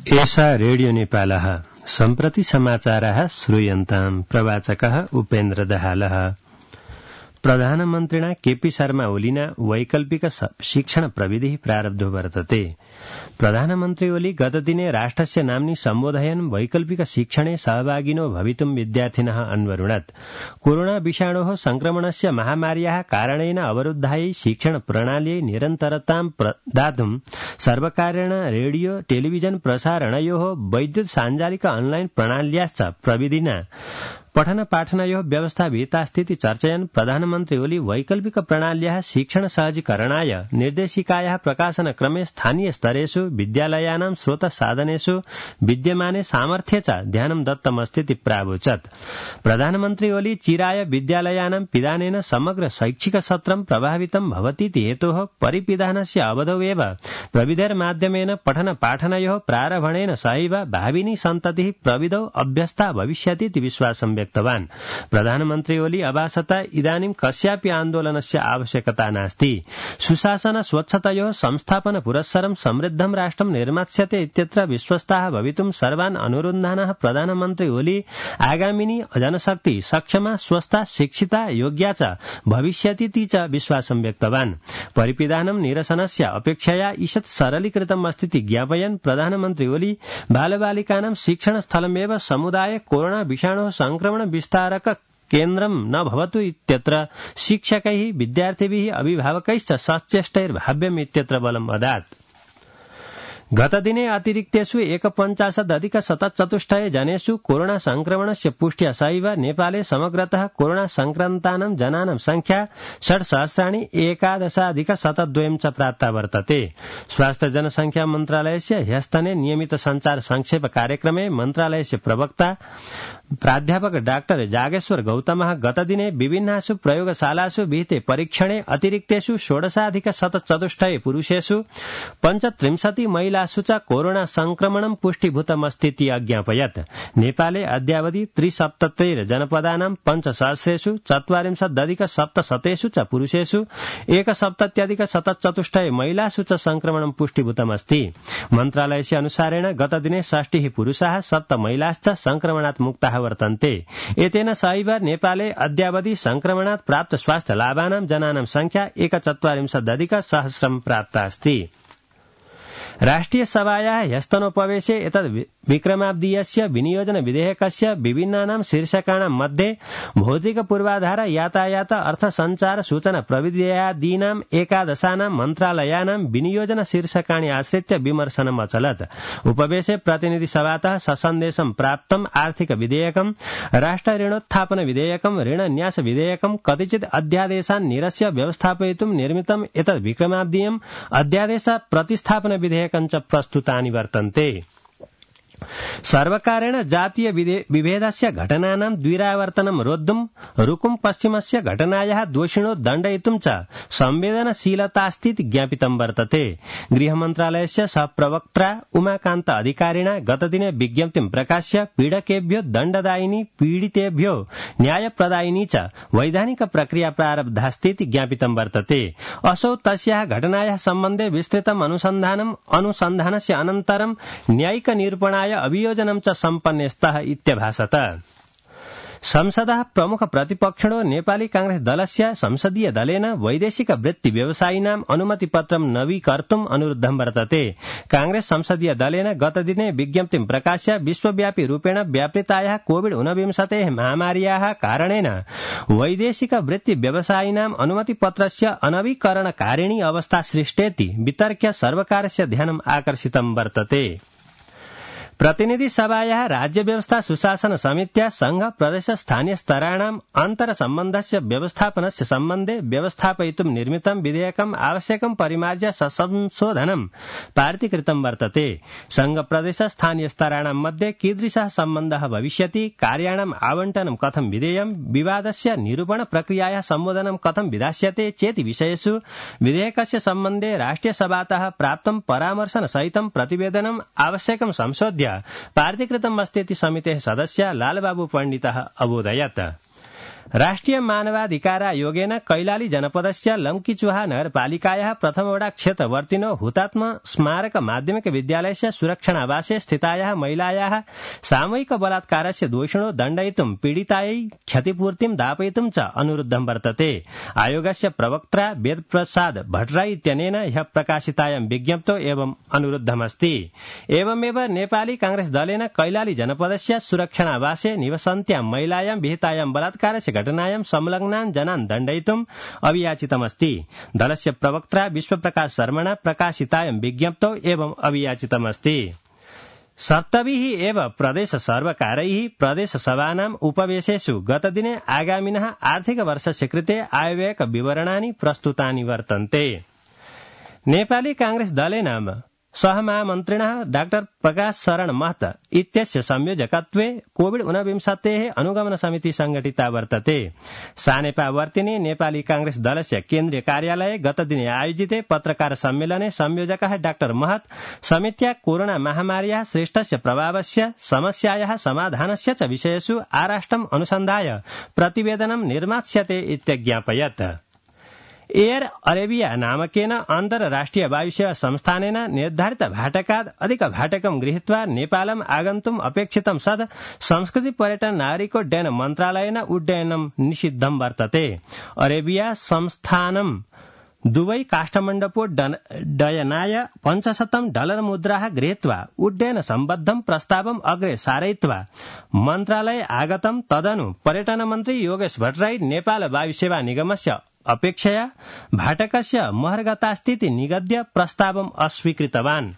एषा रेडियो नेपालः सम्प्रति समाचाराः श्रूयन्ताम्। प्रवाचकः उपेन्द्र दहालः। प्रधानमन्त्रिणा केपी शर्मा ओलीना वैकल्पिक शिक्षण प्रविधिः प्रारब्धो वर्तते। प्रधानमन्त्री ओली गतदिने राष्ट्रस्य नाम्नि सम्बोधयन् वैकल्पिक शिक्षणे सहभागिनो भवितुं विद्यार्थिनः अन्वरुणत्। कोरोना विषाणोः संक्रमणस्य महामार्याः कारणेन अवरुद्धायै शिक्षण प्रणाल्यै निरन्तरतां प्रदातुं सर्वकारेण रेडियो टेलिविजन प्रसारणयोः वैद्युत साञ्जालिक ऑनलाइन प्रणाल्याश्च प्रविधिना पठन पाठनयोः व्यवस्था विहितास्तीति चर्चयन् प्रधानमन्त्री ओली वैकल्पिक प्रणाल्याः शिक्षण सहजीकरणाय निर्देशिकायाः प्रकाशनक्रमे स्थानीय स्तरेषु विद्यालयानां स्रोत साधनेषु विद्यमाने सामर्थ्ये च ध्यानं दत्तमस्तीति प्रावोचत्। प्रधानमन्त्री ओली चिराय विद्यालयानां पिधानेन समग्र शैक्षिक सत्रं प्रभावितं भवतीति हेतोः परिपिधानस्य अवधौ एव प्रविधेर्माध्यमेन पठन पाठनयोः प्रारम्भणेन सहैव भाविनी सन्ततिः प्रविधौ अभ्यस्ता भविष्यतीति विश्वासं व्यक्तवान्। प्रधानमन्त्री ओली अभासता इदानीं कस्यापि आन्दोलनस्य आवश्यकता नास्ति। सुशासन स्वच्छतयोः संस्थापन पुरस्सरं समृद्धं राष्ट्रं निर्मास्यते इत्यत्र विश्वस्ताः भवितुं सर्वान् अनुरुन्धानः प्रधानमन्त्री ओली आगामिनी जनशक्ति सक्षमा स्वस्था शिक्षिता योग्या च भविष्यतीति च विश्वासं व्यक्तवान्। परिपिधानं निरसनस्य अपेक्षया ईषत् सरलीकृतम् अस्तीति ज्ञापयन् प्रधानमन्त्री ओली बालबालिकानां शिक्षणस्थलमेव समुदाय कोरोना विषाणोः संक्रमण विस्तारक केन्द्रं न भवतु इत्यत्र शिक्षकैः विद्यार्थिभिः अभिभावकैश्च सचेष्टैर्भाव्यम् इत्यत्र बलम् अदात्। गतदिने अतिरिक्तेषु 51,174 जनेषु कोरोना संक्रमणस्य पुष्ट्या सहैव नेपाले समग्रतः कोरोना संक्रमितानां जनानां संख्या 6,11,011 च प्राप्ता वर्तते। स्वास्थ्य जनसंख्या मन्त्रालयस्य ह्यस्तने नियमित संचार संक्षेप कार्यक्रमे मन्त्रालयस्य प्रवक्ता प्राध्यापक डाक्टर जागेश्वर गौतमः गतदिने विभिन्नासु प्रयोगशालासु विहिते परीक्षणे अतिरिक्तेषु 16,174 पुरुषेषु 35 महिलासु च कोरोना संक्रमणं पुष्टीभूतमस्तीति अज्ञापयत्। नेपाले अद्यावधि 73 जनपदानां 5,000 40,770 च पुरुषेषु 1,70,174 महिलासु च संक्रमणं पुष्टीभूतमस्ति। मन्त्रालयस्य अनुसारेण गतदिने 60 पुरुषाः 7 महिलाश्च संक्रमणात् मुक्ताः वर्तन्ते। एतेन सहैव नेपाले अद्यावधि संक्रमणात् प्राप्त स्वास्थ्य लाभानां जनानां संख्या 41,000 प्राप्ता अस्ति। राष्ट्रिय सभायाः ह्यस्तनोपवेशे एतद् विक्रमाब्दीयस्य विनियोजन विधेयकस्य विभिन्नानां शीर्षकाणां मध्ये भौतिक पूर्वाधार यातायात अर्थ संचार सूचना प्रविध्यादीनाम् एकादशानां मन्त्रालयानां विनियोजन शीर्षकाणि आश्रित्य विमर्शनम् अचलत्। उपवेशे प्रतिनिधि सभातः ससन्देशं प्राप्तम् आर्थिक विधेयकं राष्ट्र ऋणोत्थापन विधेयकं ऋणन्यास विधेयकं कतिचित् अध्यादेशान् निरस्य व्यवस्थापयितुं निर्मितम् एतद् विक्रमाब्दीयम् अध्यादेश प्रतिस्थापन विधेयकं च प्रस्तुतानि वर्तन्ते। सर्वकारेण जातीय विभेदस्य घटनानां द्विरावर्तनं रोद्धुं रुकुम पश्चिमस्य घटनायाः दोषिणो दण्डयितुं च संवेदनशीलतास्तीति ज्ञापितं वर्तते। गृहमन्त्रालयस्य सहप्रवक्त्रा उमाकान्त अधिकारिणा गतदिने विज्ञप्तिं प्रकाश्य पीडकेभ्यो दण्डदायिनी पीडितेभ्यो न्यायप्रदायिनी च वैधानिक प्रक्रिया प्रारब्धास्तीति ज्ञापितं वर्तते। असौ तस्याः घटनायाः सम्बन्धे विस्तृतम् अनुसन्धानस्य अनन्तरं न्यायिक निरूपणाय अभियोजनं च सम्पन्ने स्तः इत्यभासत। संसदः प्रमुख प्रतिपक्षिणो नेपाली कांग्रेस दलस्य संसदीय दलेन वैदेशिक वृत्ति व्यवसायिनाम् अनुमतिपत्रं नवीकर्तुम् अनुरुद्धं वर्तते। कांग्रेस संसदीय दलेन गतदिने विज्ञप्तिं प्रकाश्य विश्वव्यापी रूपेण व्यापृतायाः कोविड-19 महामार्याः कारणेन वैदेशिक वृत्ति व्यवसायिनाम् अनुमतिपत्रस्य अनवीकरणकारिणी अवस्था सृष्टेति वितर्क्य सर्वकारस्य ध्यानम् आकर्षितं वर्तते। प्रतिनिधि सभायाः राज्य व्यवस्था सुशासन समित्या संघ प्रदेश स्थानीय स्तराणाम् अन्तर सम्बन्धस्य व्यवस्थापनस्य सम्बन्धे व्यवस्थापयितुं निर्मितं विधेयकम् आवश्यकं परिमार्ज्य संशोधनं पारितीकृतं वर्तते। संघ प्रदेश स्थानीय स्तराणां मध्ये कीदृशः सम्बन्धः भविष्यति, कार्याणाम् आवण्टनं कथं विधेयं, विवादस्य निरूपण प्रक्रियायाः सम्बोधनं कथं विधास्यते चेति विषयेषु विधेयकस्य सम्बन्धे राष्ट्रियसभातः प्राप्तं परामर्शन सहितं प्रतिवेदनम् आवश्यकं संशोध्य पारितीकृतम् अस्तीति समितेः सदस्य लालबाबू पण्डितः अबोधयत्। राष्ट्रिय मानवाधिकारायोगेन कैलाली जनपदस्य लम्कीचुहा नगरपालिकायाः प्रथमवडा क्षेत्रवर्तिनो हुतात्मा स्मारक माध्यमिक विद्यालयस्य सुरक्षणावासे स्थितायाः महिलायाः सामूहिक बलात्कारस्य दोषिणो दण्डयितुं पीडितायै क्षतिपूर्तिं दापयितुं च अनुरुद्धं वर्तते। आयोगस्य प्रवक्त्रा वेदप्रसाद भट्टराई इत्यनेन ह्यः प्रकाशितायां विज्ञप्तौ एवं अनुरुद्धमस्ति। एवमेव नेपाली कांग्रेस दलेन कैलाली जनपदस्य सुरक्षणावासे निवसन्त्यां महिलायां विहितायां बलात्कारस्य घटनायां संलग्नान् जनान् दण्डयितुम् अभियाचितमस्ति। दलस्य प्रवक्त्रा विश्वप्रकाश शर्मणा प्रकाशितायां विज्ञप्तौ एवं अभियाचितमस्ति। सप्तभिः एव प्रदेश सर्वकारैः प्रदेशसभानाम् उपवेशेषु गतदिने आगामिनः आर्थिकवर्षस्य कृते आयव्ययक विवरणानि प्रस्तुतानि वर्तन्ते। नेपाली कांग्रेस दलेन सहमहामन्त्रिणः डाक्टर प्रकाश शरण महत इत्यस्य संयोजकत्वे कोविड-19 अनुगमन समिति संगठिता वर्तते। सानेपावर्तिने नेपाली कांग्रेस दलस्य केन्द्रीय कार्यालये गतदिने आयोजिते पत्रकार सम्मेलने संयोजकः डाक्टर महत समित्या कोरोना महामार्याः श्रेष्ठस्य प्रभावस्य समस्यायाः समाधानस्य च विषयेषु आराष्ट्रम् अनुसन्धाय प्रतिवेदनं निर्मास्यते इत्यज्ञापयत्। एयर अरेबिया नामकेन अन्तर्राष्ट्रिय वायुसेवा संस्थानेन निर्धारित भाटकात् अधिक भाटकं गृहीत्वा नेपालम् आगन्तुम् अपेक्षितं सद् संस्कृति पर्यटन नागरिकोड्डयन मन्त्रालयेन उड्डयनं निषिद्धं वर्तते। अरेबिया संस्थानं दुबई काष्ठमण्डपोड्डयनाय $500 मुद्राः गृहीत्वा उड्डयन सम्बद्धं प्रस्तावम् अग्रे सारयित्वा मन्त्रालये आगतं। तदनु पर्यटन मन्त्री योगेश भट्टराई नेपाल वायुसेवा निगमस्य अपेक्षया भाटकस्य महर्गतास्थिति निगद्य प्रस्तावम् अस्वीकृतवान्।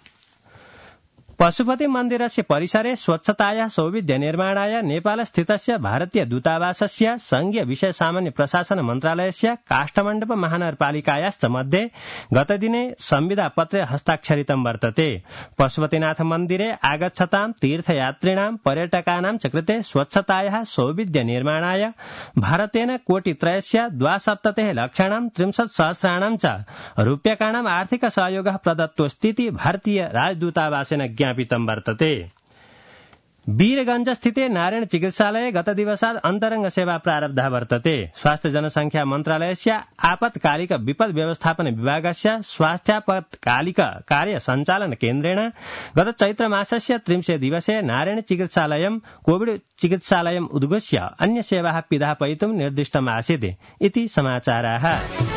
पशुपति मन्दिरस्य परिसरे स्वच्छतायाः सौविध्य निर्माणाय नेपालस्थितस्य भारतीय दूतावासस्य संघीय विषय सामान्य प्रशासन मन्त्रालयस्य काष्ठमण्डप महानगरपालिकायाश्च मध्ये गतदिने संविदापत्रे हस्ताक्षरितं वर्तते। पशुपतिनाथ मन्दिरे आगच्छतां तीर्थयात्रिणां पर्यटकानां च कृते स्वच्छतायाः सौविध्य निर्माणाय भारतेन कोटित्रयस्य 72 लक्षाणां 63,000 च रूप्यकाणाम् आर्थिक सहयोगः प्रदत्तोऽस्तीति भारतीय राजदूतावासेन ज्ञापितं वर्तते। वीरगंज स्थिते नारायण चिकित्सालये गतदिवसात् अन्तरंग सेवा प्रारब्धा वर्तते। स्वास्थ्य जनसंख्या मन्त्रालयस्य आपत्कालिक विपद व्यवस्थापन विभागस्य स्वास्थ्यापत्कालिक कार्य सञ्चालन केन्द्रेण गत चैत्र मासस्य 30 दिवसे नारायण चिकित्सालयं कोविड चिकित्सालयम् उद्घोष्य अन्य सेवाः पिधापयितुं निर्दिष्टमासीत् इति समाचाराः।